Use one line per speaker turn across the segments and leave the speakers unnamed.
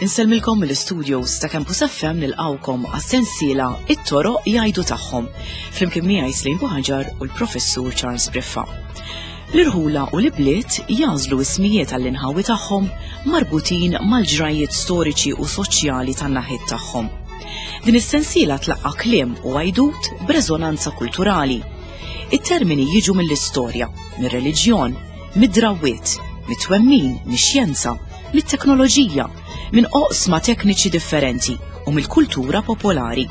Insellmilkom mill-studios ta' Campus FM nilqawkom għas-sensiela It-toroq jgħidu tagħhom flimkien miegħi Slim Buħaġar u l-Professur Charles Briffa. L-irħula u l-ibliet jagħżlu ismijiet għall-inħawi tagħhom marbutin mal-ġrajjiet storiċi u soċjali tan-naħiet tagħhom. Din is-sensiela tlaqqa' kliem u għajdut b'reżonanza kulturali. It-termini jiġu mill-istorja, mir-reliġjon, mid-drawwiet, mit-twemmin, mix-xjenza, mit-teknoloġija, minn oqsma tekniċi differenti u mill-kultura popolari.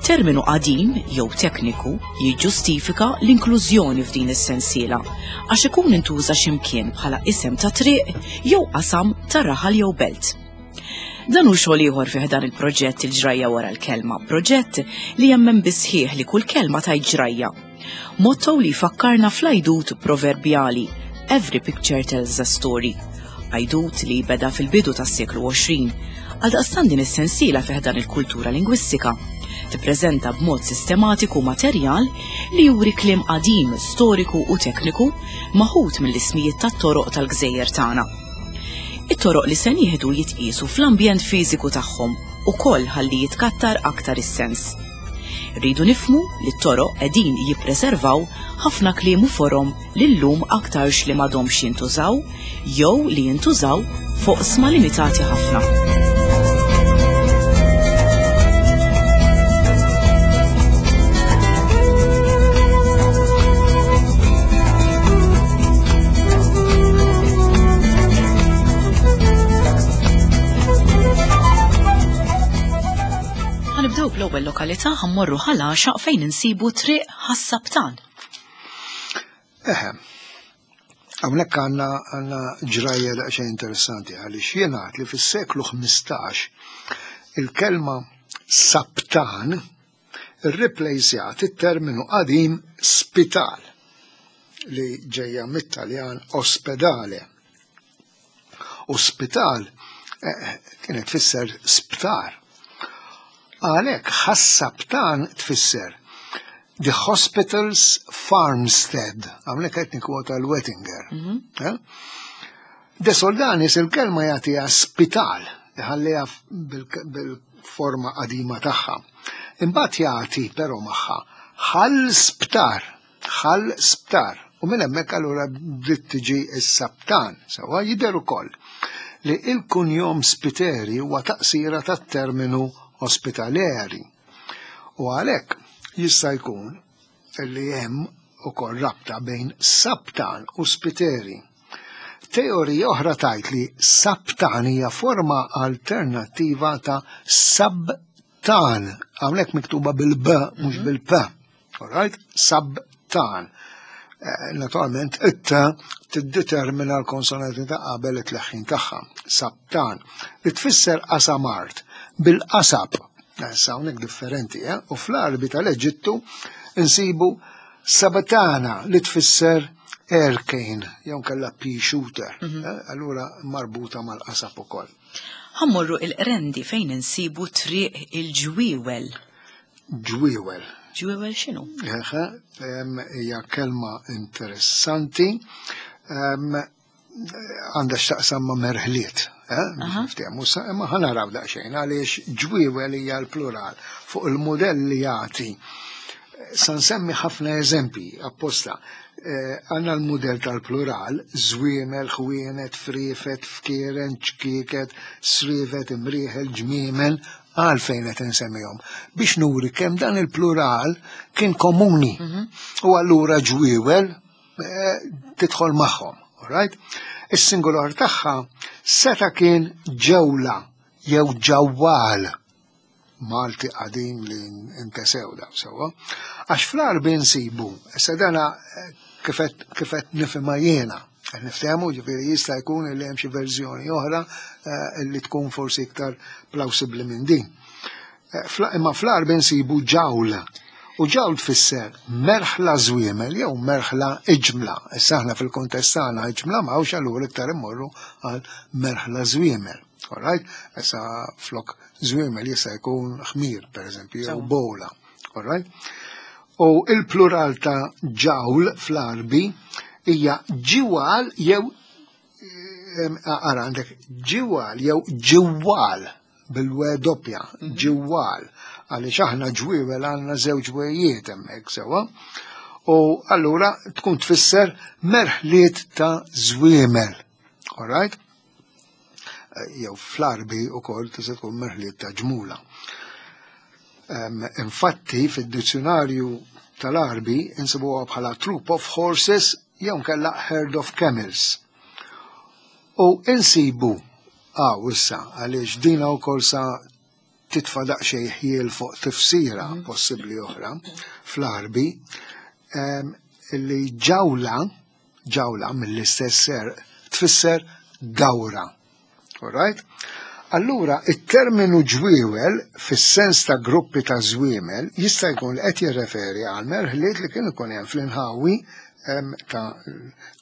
Terminu qadim jew tekniku jiġġustifika l-inklużjoni f'din is-sensiela għax ikun intuża x'imkien bħala isem ta' triq jew qasam ta' raħal jew belt. Dan hu xogħol ieħor fih dan il-proġett il-ġrajja wara l-kelma, proġett li jemmen bisħieħ li kull kelma tajt ġrajja. Motto li jfakkarna fl-għajdut proverbjali Every picture tells a story. Għajdut li beda fil-bidu tas-seklu 20. Għaldaqstant din is-sensiela fih dan il-kultura lingwistika tippreżenta b'mod sistematiku materjal li juri kliem qadim, storiku u tekniku maħud mill-ismijiet tat-toroq tal-gżejjer tagħna. It-toroq li se nieħdu jitqiesu fl-ambjent fiżiku tagħhom ukoll ħalli jitkattar aktar is-sens. Rridu nifhmu li t-toroq qegħdin jippreservaw ħafna kliem u forom li llum aktarx li m'għadhomx jintużaw jew li jintużaw f'oqsma limitati ħafna. Ħanibdew bl-ewwel lokalità ħammorru Ħal Għaxaq fejn insibu Triq Ħas-Sabtan.
Eħe, hawnhekk għandna għandna ġrajja daqsxejn interessanti għaliex jingħad li fis-seklu 15 il-kelma sabtan irriplejsjat it-terminu qadim spital li ġejja mit-Taljan ospedale. U spital eh, kienet tfisser sptar. Għalhekk ħassabtan tfisser The Hospital's Farmstead, għamlek qed nikkwota l-Wettinger. Mhm. Eh? De Soldanis il-kelma jagħtiha spital, iħalliha bil-forma qadima tagħha. Imbagħad jagħti però magħha ħal sptar, ħal sptar. U minn hemmhekk allura bdiet tiġi s-sabtan, sewwa jidher ukoll li il-kunjom Spiteri huwa taqsira tat-terminu ospitaleri. U għalhekk jista' jkun li hemm ukoll rabta bejn sabtan u Spiteri. Teorija oħra tajt li sabtan hija forma alternattiva ta' sabtan, hawnhekk miktuba bil-b mhux mhm. bil-p. Alright? Sabtan. Eh, naturalment, it tiddetermina l-konsonanti ta' qabel it-tleħħin tagħha. Sabtan. Li tfisser qasam art bil-qasab. Eh, issa hawnhekk differenti, eh? U fl-Arbi tal-Eġittu insibu sabatana li tfisser aircane, jew kella pea shooter, mhm. eh, allura marbuta mal-qasab ukoll.
Ħammorru il-qrendi fejn insibu triq il-ġwiewel.
Ġwiewel.
Ġwiewel x'inhu?
Eħe, hija kelma interessanti. Għandha x'taqsam ma' merħliet, eh, niftehmu sa imma ħa naraw daqsxejn għaliex ġwiewel hija l-plural fuq il-mudell li jagħti. Sa nsemmi ħafna eżempji apposta. Eh, għandna l-mudell tal-plural, żwiemel, ħwienet, friefet, fkieren, ċkieket, srievet, imrieħel, ġmiemel, għalfejn qed insemmihom biex nuri kemm dan il-plural kien komuni. Mhm. U allura ġwiewel eh, tidħol magħhom, right? Is-singular tagħha seta kien ġewla jew ġawwal Malti qadim li ntesew daw sewwa. Għax fl-Arbi nsibu, issa dana eh, kifet nifhimha jiena, qed niftehmu ġifieri jista' jkun li hemm xi verżjoni oħra eh, li tkun forsi iktar plawsibbli minn din. Eh, imma fl-Arbi nsibu ġawl. U ġawl tfisser merħla żwiemel jew merħla iġmla. Issa aħna fil-kuntest tagħna iġmla m'hawnx allura iktar immorru għal merħla żwiemel. All right? Issa flok żwiemel jista' jkun ħmir, per eżempju, jew bowla. All right? U il-plural ta' ġawl fl-Arbi hija ġiwal jew ara għandek ġiwal jew ġiwal bil-we doppja, mhm. ġiwal, għaliex aħna ġwiewel għandna żewġ wejiet hemmhekk sewwa. U allura tkun tfisser merħliet ta' żwiemel. All right? Eh, jew fl-arbi u kol tista' tkun merħliet ta' ġmula. Infatti, fid-dizzjonarju tal-arbi insibuha bħala troop of horses jew nkella herd of camels. U insibu għaw issa għaliex dina wkoll sa titfa' daqsxejn ħjiel fuq tifsira mhm. possibbli oħra fl-arbi li ġawla ġawla mill-istess ser tfisser dawra. Alright? Allura, it-terminu ġwiewel fis-sens ta' gruppi ta' żwiemel jista' jkun li qed jirreferi għal merħliet li kien ikun hemm fl-inħawi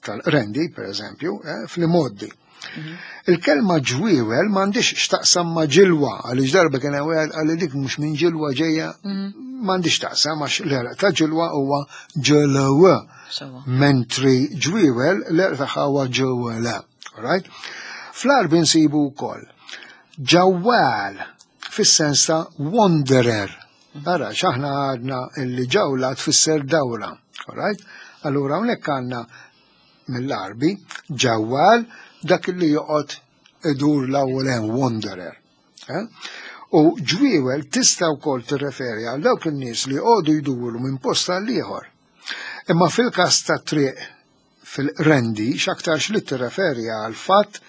tal-rendi, per eżempju, eh, fl-imoddi. Mhm. Il-kelma ġwiewel m'għandix x'taqsam ma' ġilwa, għaliex darba kien hemm wieħed qal dik mhux minn ġilwa ġejja, mhm. m'għandix taqsam għax l-għerq ta' ġilwa huwa ġilwa. Mentri ġwiewel l-għerq tagħha huwa ġewwela. Right? Fl-Għarbi nsibu wkoll ġawwal fis-sens ta' wanderer. Mhm. Ara, x'aħna għadna illi ġawla tfisser dawra. Right? Allura hawnhekk għandna mill-Għarbi, ġawwal dak li joqgħod idur l-ewwel hemm wanderer. Eh? U ġwiewel tista' wkoll tirreferi għal dawk in-nies li joqogħdu jduru minn post għal ieħor. Imma fil-każ ta' triq fil-rendi x'aktarx li tirreferi għal fatt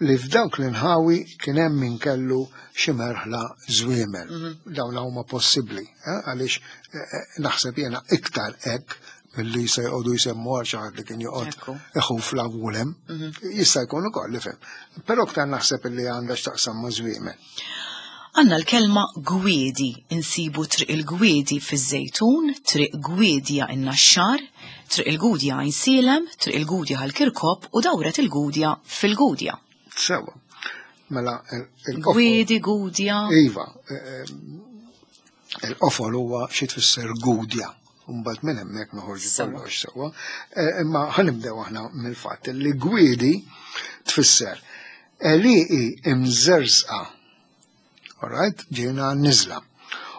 li f'dawk l-inħawi kien hemm min kellu xi merħla żwiemel. Mhm. Dawn huma possibbli, eh, għaliex eh, naħseb jiena iktar hekk milli se jqogħdu jsemmu għal xi ħadd li kien joqgħod iħuf l-awulem. Mhm. Jista' jkun ukoll li fem. Però aktar naħseb illi għandha x'taqsam ma' żwiemel.
Għanna l-kelma gwiedi, insibu triq il-gwiedi fiż-Żejtun, triq Gwidja in-Naxxar, triq il-Gudja Għajnsielem, triq il-Gudja Ħal-Kirkop u dawret il-Gudja fil-Gudja.
Sewa. Mela,
il-Gwiedi, Gudja.
Iva, eh, eh, il-qofol huwa xi tfisser Gudja. Mbagħad minn hemmhekk noħorġu kollox sewwa. Eh, imma ħanibdew aħna mill-fatt li gwiedi tfisser għelieqi imżerżqa. Alright, ġejna niżla.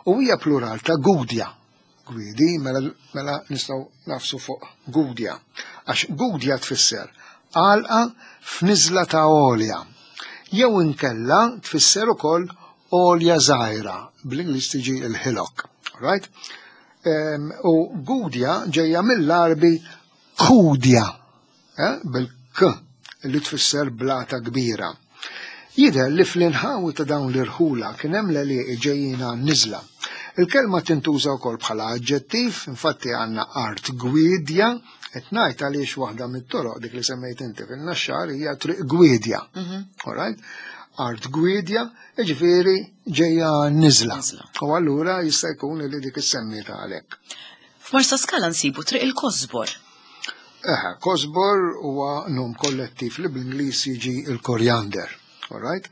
U hija plural ta' gudja. Gwidi, mela, mela nistgħu nafsu fuq gudja. Għax gudja tfisser għalqa f'niżla ta' għolja. Jew inkella tfisser ukoll għolja żgħira, bl-Ingliż tiġi l-hillock. Right? U gudja ġejja mill-Arbi kudja, eh, bil-k, li tfisser blata kbira. Jidher li fl-inħawi ta' dawn l-irħula kien hemm l-għelieqi ġejjin għan-niżla. Il-kelma tintuża wkoll bħala aġġettiv, infatti għandna art gwidja, qed ngħid għaliex waħda mit-toroq dik li semmejt inti fin-Naxxar hija triq gwidja. Mhm. All right? Art gwidja, jiġifieri ġejja niżla. U allura jista' jkun li dik is-semmieta għalhekk.
F'Marsaskala nsibu triq il-Kosbor.
Eħe, kosbor huwa nom kollettiv li bl-Ingliż jiġi il-korjander. All right?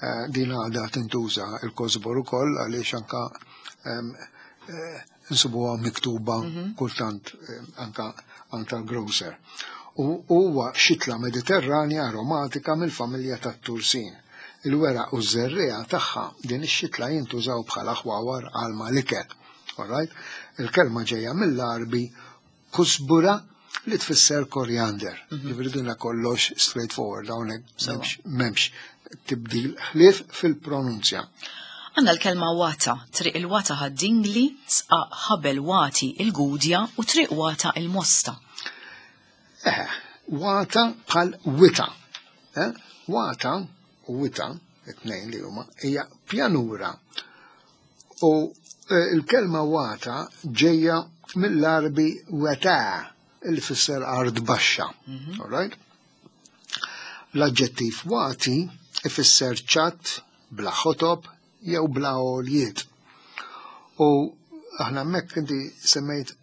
Eh, din għadha tintuża il-kosbor ukoll għaliex anka eh, nsibuha miktuba mhm. kultant eh, anka anka grocer. U huwa xitla mediterranja aromatika mill-familja tat-tursin. Il-weraq u ż-żerriegħa tagħha din ix-xitla jintużaw bħala ħwawar għal mal-ikel. All right? Il-kelma ġejja mill-Arbi kusbura li tfisser koriander. Mhm. Ġifieri dinha kollox straightforward hawnhekk m'hemmx tibdil ħlief fil-pronunzja.
Għanna l-kelma wata, triq il-wata ħad-dingli, sqaq ħabel wati il-gudja u triq wata il-mosta.
Eh, wata bħal wita. Eh? Wata u wita, it-tnejn li huma, hija pjanura U eh, il-kelma wata ġejja mill-Arbi weta li fisser art baxxa. Mhm. All right? L-aġġettiv wati ifisser ċatt, bla ħotob jew bla għoljiet. U aħna hemmhekk inti semmejt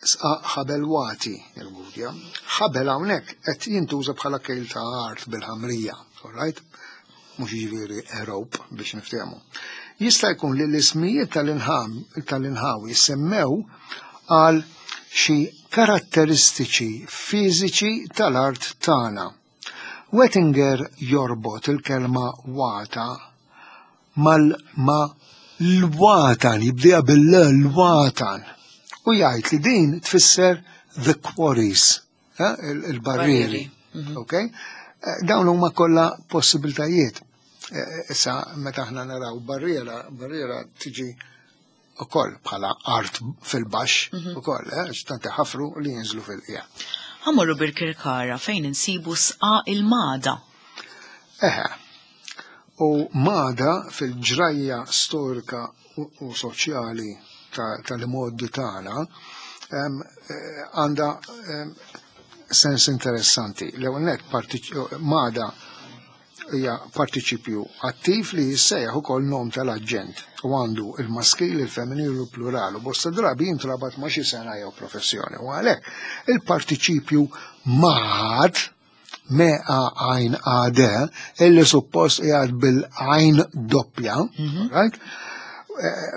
Sqaq ħabel wati, il-gudja. Ħabel hawnhekk qed jintuża bħala kejl ta' art bil-ħamrija, all right? Mhux jiġifieri rope biex niftehmu. Jista' jkun li l-ismijiet tal-inħawi semmew għal xi karatteristiċi fiżiċi tal-art tagħna. Wettinger jorbot il-kelma wata mal ma l-watan, jibdija bil-l-watan, u jgħid li din tfisser the quarries, eh, il-barrieri. Ok? Dawn huma kollha possibiltajiet. Issa meta aħna naraw barriera, barriera tiġi ukoll bħala art fil-baxx ukoll, x'tant ħafru li jinżlu fil-qiegħ.
Ħa mmorru Birkirkara fejn insibu sqa il-Mada.
Eħe. U Mada fil-ġrajja storika u soċjali tal-modi tagħna għandha sens interessanti. L-ewwel nett Mada hija partiċipju attiv li jissejjaħ ukoll nom tal-aġent u għandu il-maskil, il-femminil u l-plural u bosta drabi jintrabat ma' xi sena jew professjoni. U għalhekk il-partiċipju mad me a għajn a d illi suppost qiegħed bil-għajn doppja, right?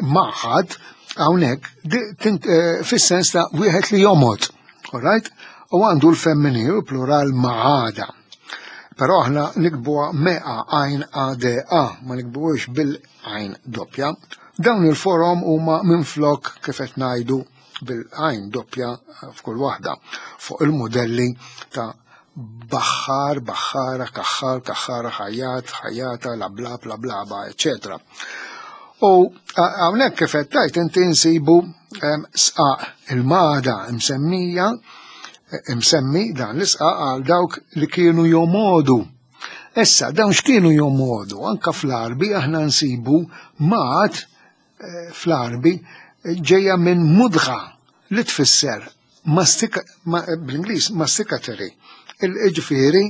Maħad hawnhekk fis-sens ta' wieħed li jomod, right? U għandu l-femminil u plural maħada. Però aħna nikbuha meqa għajn a d a, ma nikbuhiex bil-għajn doppja. Dawn il-forom huma minflok kif qed ngħidu bil-għajn doppja f'kull waħda fuq il-modelli ta' baħħar, baħħara, kaħħar, kaħħara, ħajjat, ħajjata, lablab, lablaba, eccetera. U hawnhekk kif qed tgħid inti nsibu sqaq il-mada msemmija msemmi dan l-isqaq għal dawk li kienu jomodu. Issa, dawn x'kienu jomodu? Anka fl-Arbi aħna nsibu mat fl-Arbi ġejja minn mudgha li tfisser bl-Ingliż masticatory. Il-ġifieri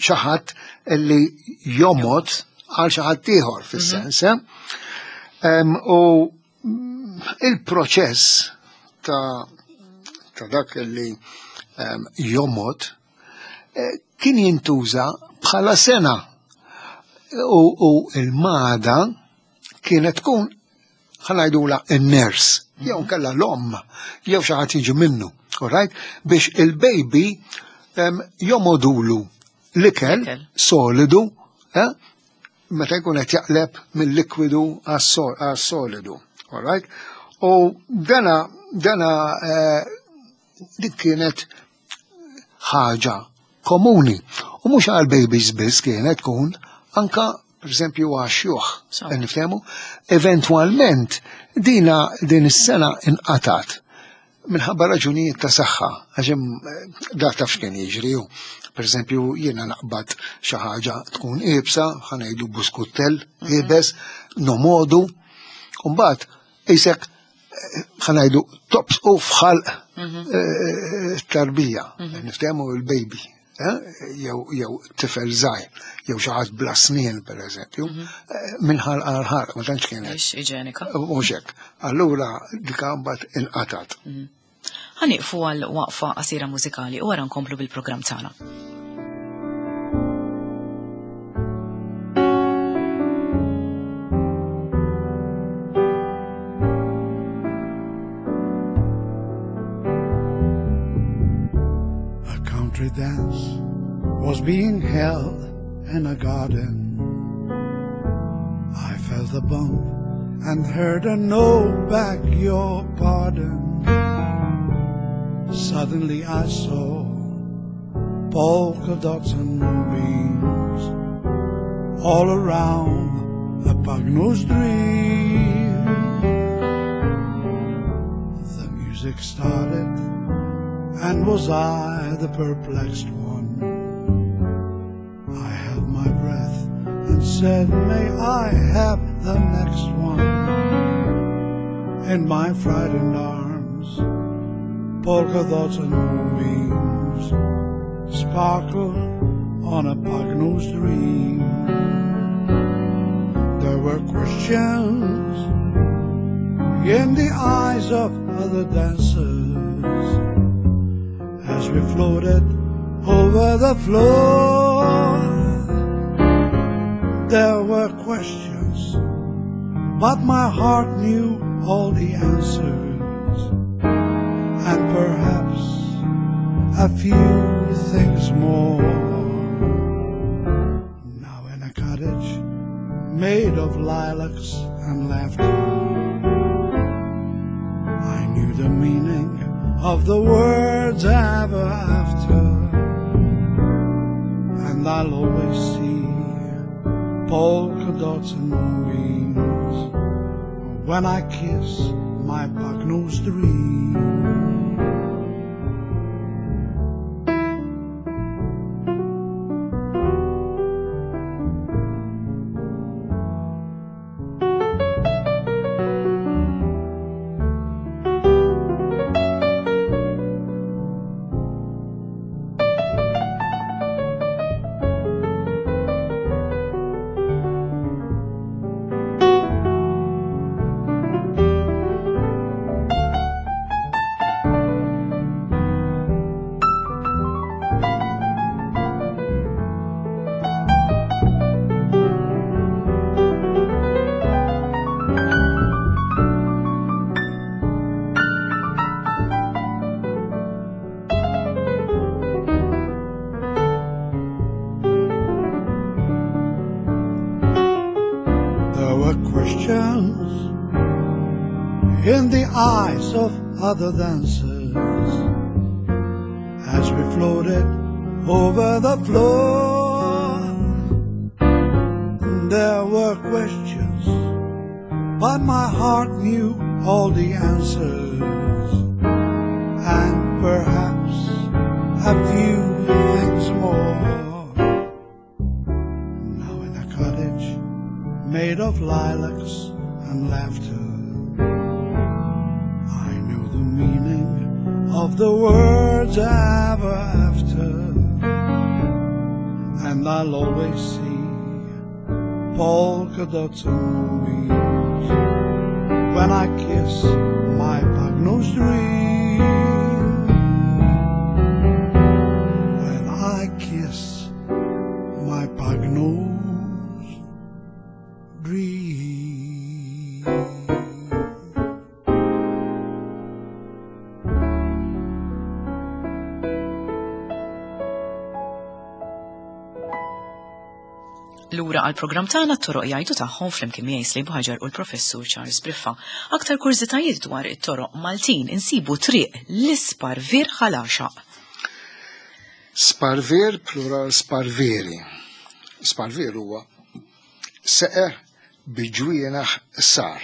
xi ħadd li jomod għal xi ħadd ieħor fis-sens. U il-proċess ta' dak li jomod kien jintuża bħala sena u il-mada kienet tkun ħa ngħidula n-ners, jew kella l-omm, jew xi ħadd jiġi minnu, alright? Biex il-baby jomodulu l-ikel solidu, meta jkun qed jaqleb mill-likwidu għas-solidu, alright? U dana dik kienet ħaġa komuni. U mhux għal babies biss kienet tkun anka per eżempju għax-xjuħ, nifhemu, eventwalment dina din is-sena inqatat minħabba raġunijiet ta' saħħa, għax da taf x'kien jiġri hu. Per eżempju, jiena naqbad xi ħaġa tkun iebsa, ħa ngħidu buskutell iebes, nomodu, u mbagħad isek ħa ngħidu tops u fħal tarbija, niftehmu il-baby, jew tifel żgħir, jew xi ħadd bla snien pereżempju, minn ħalq għal ħalq, ma tantx kienet.
Mhix iġenika.
Mhux hekk. Allura dika mbagħad inqatat.
Ħa nieqfu għal waqfa qasira mużikali u wara nkomplu bil-programm tagħna.
A country dance was being held in a garden. I felt a bump and heard a no, beg your pardon. Suddenly I saw polka dots and moonbeams all around a pug-nosed dream. The music started, and was I the perplexed one? I held my breath and said, may I have the next one? In my frightened arms, polka dots and moonbeams sparkled on a pug-nosed dream. There were questions in the eyes of other dancers as we floated over the floor. There were questions, but my heart knew all the answers. perhaps a few things more. Now in a cottage made of lilacs and laughter, I knew the meaning of the words ever after. And I'll always see polka dots and moonbeams when I kiss my pug-nosed dream. There were questions in the eyes of other dancers as we floated over the floor. There were questions, but my heart knew all the answers, and perhaps a few things more. Now in a cottage made of lilacs and laughter, I knew the meaning of the words ever after, and I'll always see polka dots and moonbeams when I kiss my pug-nosed dream. When I kiss my pug-nosed dream.
Lura għal programm tagħna t-toroq jgħidu tagħhom flimkien miegħi Slim Ħaġar u l-Professur Charles Briffa. Aktar kurżitajiet dwar it-toroq Maltin insibu triq l-Isparvier Ħal Għaxaq.
Sparvier plural sparvieri. Sparvier huwa seqer bi ġwienaħ sar.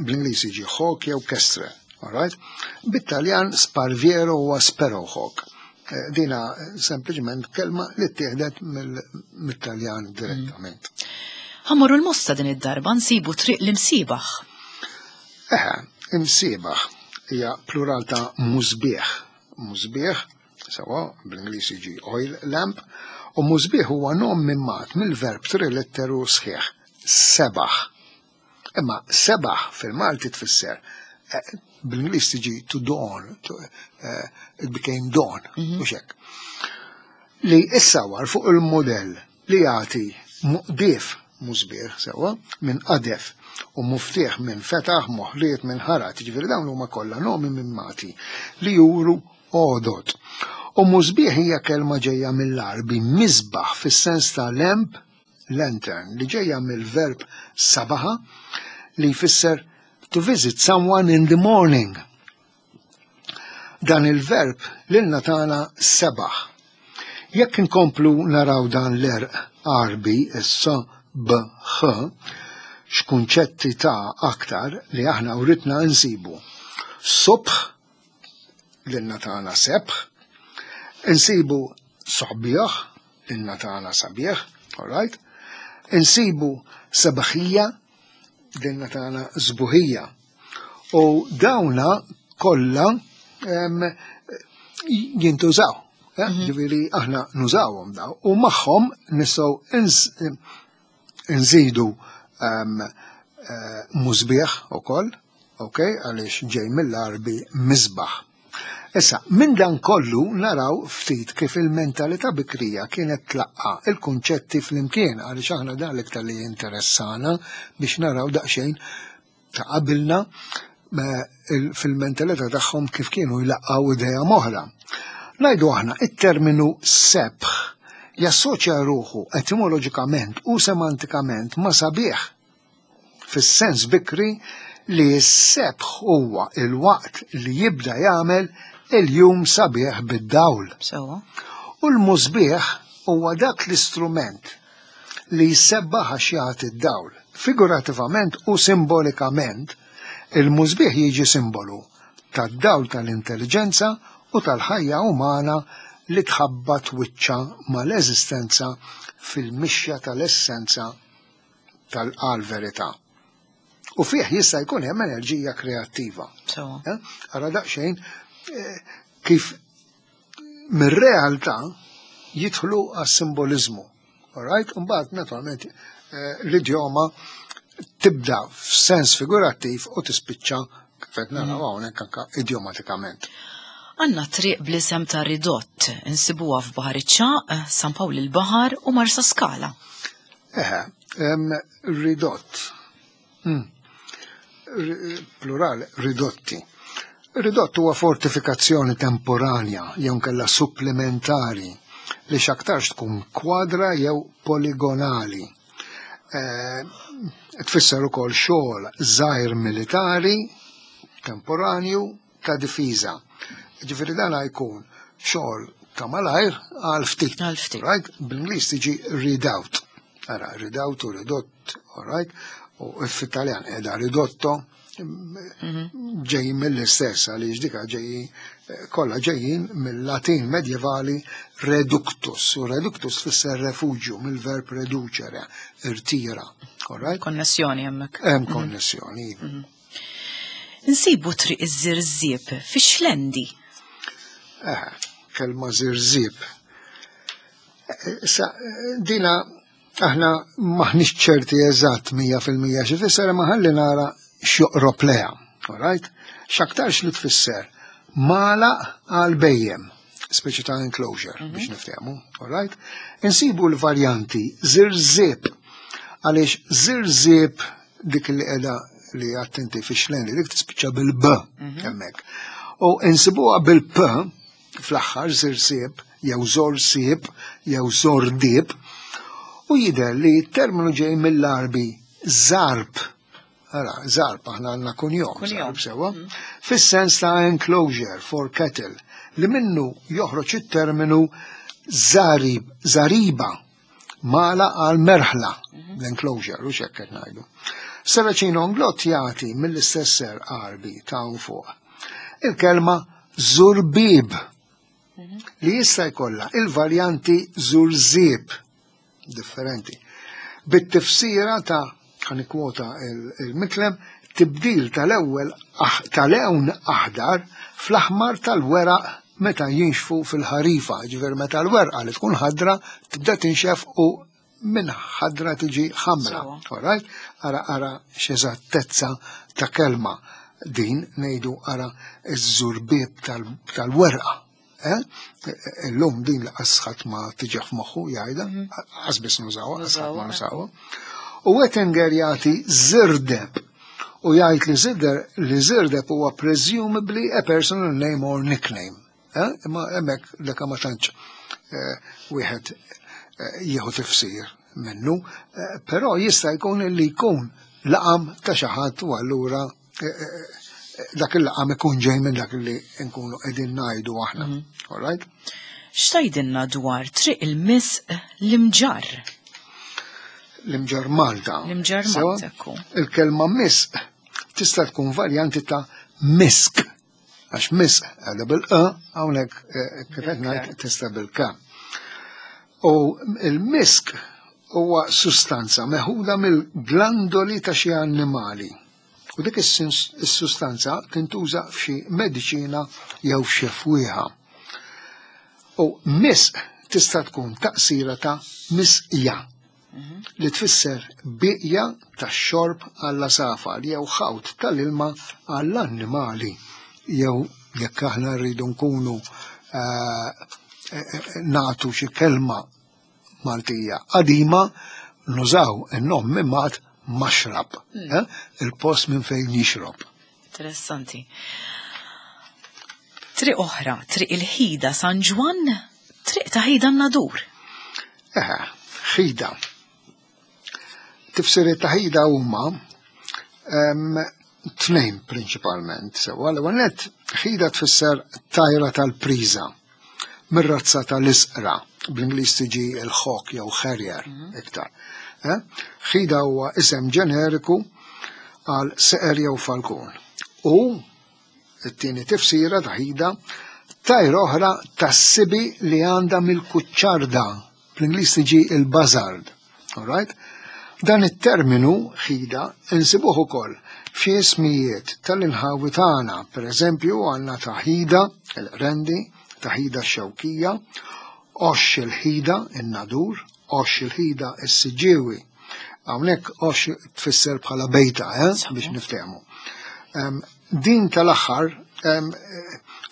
Bl-Ingliż jiġi hawk jew kestrel, all right? Bit-Taljan sparviero huwa sparrowhawk. Dina sempliċement kelma li ttieħdet mit-Taljan direttament.
Ħa mmorru l-Mosta din id-darba nsibu triq l-Imsiebaħ.
Eħe, Imsiebaħ hija plural ta' musbieħ. Musbieħ, sewa, bl-Ingliż jiġi oil lamp, u musbieħ huwa nom mimmat mill-verb trilitteru sħiħ, sebaħ. Imma sebaħ fil-Malti tfisser, bl-Ingliż tiġi to dawn, it became dawn, mhux hekk. Li issawar fuq il-modell li jagħti muqdif musbieħ sewa minn qadef u muftieħ minn fetaħ, moħliet minn ħarat, ġifieri dawn huma kollha nomi mimmati li juru għodod. U musbieħ hija kelma ġejja mill-Arbi misbaħ fis-sens ta' lamp, lantern, li ġejja mill-verb sabaħa li jfisser to visit someone in the morning. Dan il-verb lilna tagħna sebaħ. Jekk inkomplu naraw dan l-erq Arbi, issa B H, x'kunċetti ta' aktar li aħna uritna nsibu. Subħ, lilna tagħna sebħ, insibu soħbieħ, lilna tagħna sabieħ, all right? Insibu sebaħija, lilna tagħna żbuħija. U dawna kollha jintużaw. Ġifieri aħna nużawhom daw u magħhom nistgħu nżidu musbieħ ukoll, ok, għaliex ġej mill-Arbi misbaħ. Issa, minn dan kollu naraw ftit kif il-mentalità bikrija kienet tlaqqa il-kunċetti flimkien, għaliex aħna dan l-iktar li jinteressana biex naraw daqsxejn ta' qabilna fil-mentalità tagħhom kif kienu jlaqqgħu idea m'oħra. Ngħidu aħna it-terminu sebħ jassoċja ruħu etimoloġikament u semantikament ma' sabiħ fis-sens bikri li s-sebħ huwa il-waqt li jibda jagħmel il-jum sabiħ bid-dawl. U l-musbieħ huwa dak l-istrument li jsebbaħ għax jagħti d-dawl. Figurativament u simbolikament, il-musbieħ jiġi simbolu tad-dawl tal-intelliġenza u tal-ħajja umana li tħabbat wiċċha mal-eżistenza fil-mixja tal-essenza tal-verità. U fih jista' jkun hemm enerġija kreattiva. Eh? Ara daqsxejn eh, kif mir-realtà jidħlu għas-simbolizmu. Alright? Mbagħad naturalment eh, l-idjoma tibda f'sens figurattiv u tispiċċa kif qed naraw mm. hawnhekk anke idjomatikament.
Għanna triq bl-isem ta' Ridott, insibuha f'Baħar iċ-Ċaq, San Pawl il-Baħar u Marsa Skala.
Eħe, ridott. Hmm. Plural, ridotti. Ridott huwa fortifikazzjoni temporanja jew kella supplementari li x'aktarx tkun kwadra jew poligonali. Eh, tfisser ukoll xogħol żgħir militari temporanju ta' difiża. Ġifieri dan jkun xogħol ta' malajr għal ftit.
Għal ftit.
Right? Bl-Ingliż tiġi redoubt. Ara, redoubt u ridott, all right? U fit-Taljan qiegħda ridotto mhm. ġejjin mill-istess għaliex dika ġejjin kollha ġejjin mill-Latin medjevali reductus. U reductus tfisser refugju mill-verb reducere, irtira. All right?
Konnessjoni hemmhekk.
Hemm mhm. konnessjoni.
Mhm. Insibu triq iż-żirżieb fix-Xlendi.
Eh, kelma żirżieb. Eh, sa, dina aħna maħniex ċerti eżatt 100% xi fisser ma ħalli nara x'joqrob leha. Alright? X'aktarx li tfisser mala għal bejjem, speċi ta' enclosure mhm. biex niftehmu, alright? Insibu l-varjanti zirżib għaliex zirżib dik li qiegħda li attenti fi xlendi dik tispiċċa bil-b mhm. hemmhekk. U insibuha bil-p fl-aħħar zirżib jew zorsib jew zordib u jidher li t-terminu ġej mill-Arbi zarb Ara, zarb, aħna għandna kunjom, zarb sewa, mhm. fis-sens ta' enclosure for cattle, li minnu joħroġ it-terminu zarib, zariba, mala għal merħla, mhm. l-enclosure, u xekk qed ngħidu. Saracino Onglot jagħti mill-istess ser Arbi ta' fuq. Il-kelma zurbib mhm. li jista' jkollha il-varjanti zurzib differenti. Bit-tifsira ta' ħanikwota il-mitlem, tibdil tal-ewwel tal-ewn aħdar fl-aħmar tal-weraq meta jinxfu fil-ħarifa, ġifier meta l-werqa li tkun ħadra tibda tinxef u minn ħadra tiġi ħamra. Alright? Ara ara x'eżattezza ta' kelma din ngħidu ara ż-żurbieb tal-werqa. Eh? Illum din li qasħat ma tiġi f'moħħu jgħidha, mhm. qasbis nużawha, qasħat ma nużawha. U Wettinger jagħti zirdeb u jgħid li zirder li zirdeb huwa presumably a personal name or nickname. Eh? Imma hemmhekk dak ma tantx eh, wieħed jieħu tifsir minnu, però jista' jkun li jkun laqam ta' xi ħadd u allura dak il-laqam ikun ġej minn dak li nkunu qegħdin ngħidu aħna. Mhm. All right?
X'tajdilna dwar triq il-misq l-imġarr?
L-imġarr Malta.
L-imġarr Malta.
Il-kelma misq tista' tkun varjanti ta' misk. Għax misq għadha bil-q, hawnhekk eh, kif qed ngħid tista' bil-k. U il-misk huwa sustanza meħuda mill-glandoli ta' xi annimali. U dik is-sustanza tintuża f'xi mediċina jew f'xi fwieħa. U misq tista' tkun taqsira ta' misqja mhm. li tfisser biqja tax-xorb għall-asafar jew ħawt tal-ilma għall-annimali jew jekk aħna rridu nkunu eh, eh, eh, nagħtu xi kelma Maltija qadima nużaw in-nom mimmat maxrab, hmm. eh? il-post minn fejn jixrob.
Interessanti. Triq oħra, triq il-ħida San Ġwann, triq ta' ħida nadur.
Eħe, ħida. Tifsiriet ta' ħida huma tnejn prinċipalment. Sewwa l-ewwel nett ħida tfisser tajra tal-priża mir-razza tal-isqra, bl-Ingliż tiġi il-hawk jew harrier iktar. Eh? Ħida huwa isem ġeneriku għal seqer jew falkun. U it-tieni tifsira ta' ħida tajra oħra tas-sibi li għandha mill-kuċċarda, bl-Ingliż tiġi il-buzzard. All right? Dan it-terminu ħida insibuh ukoll f'xi ismijiet tal-inħawi tagħna, pereżempju għandna ta' ħida il-Qrendi, ta' ħida x-Xewkija, Għoxx il-ħida in-Nadur, Għoxx il-ħida s-Siġġiewi. Hawnhekk għoxx tfisser bħala bejta, eh, biex niftehmu. Din tal-aħħar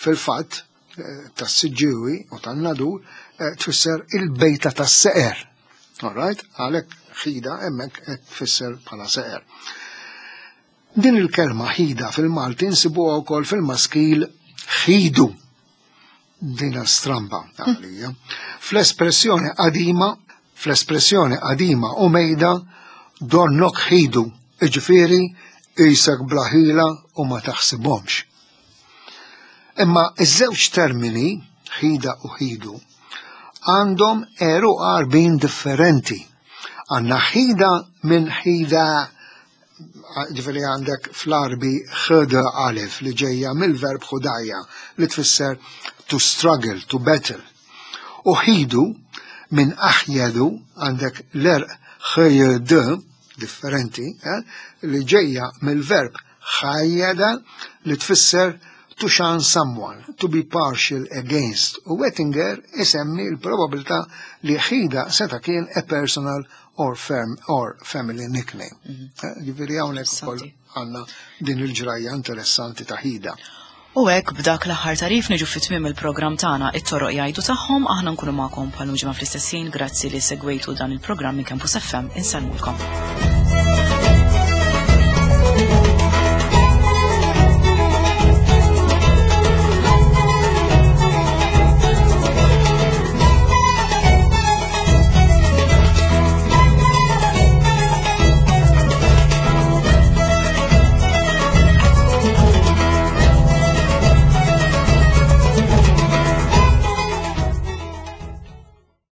fil-fatt tas-Siġġiewi u tan-Nadur tfisser il-bejta tas-seqer. All right? Għalhekk ħida hemmhekk qed tfisser bħala seqer. Din il-kelma ħida fil-Malti nsibuha wkoll fil-maskil ħidu. Dina stramba għalija. Fl-espressjoni qadima, fl-espressjoni qadima u mejda donnok ħidu, iġifieri qisek bla ħila u ma taħsibhomx. Imma iż-żewġ termini, ħida u ħidu, għandhom għeruq Għarbin differenti. Għandna ħida minn ħida ġifieri għandek fl-Għarbi ħd alif li ġejja mill-verb ħudajja li tfisser to struggle, to battle. U ħidu minn aħjedu għandek l-erq ħjd differenti eh, li ġejja mill-verb ħajjeda li tfisser to shun someone, to be partial against. U Wettinger isemmi l-probabilità li ħida seta' kien a personal or, firm, or family nickname. Eh, ġifieri hawnhekk ukoll għandna din il-ġrajja interessanti ta' ħida.
U hekk b'dak l-aħħar tarif niġu fi tmiem il-programm tagħna it-toroq jgħidu tagħhom aħna nkunu magħkom bħal ġimgħa fl-istess ħin grazzi li segwejtu dan il-programm minn Campus FM insellmulkom.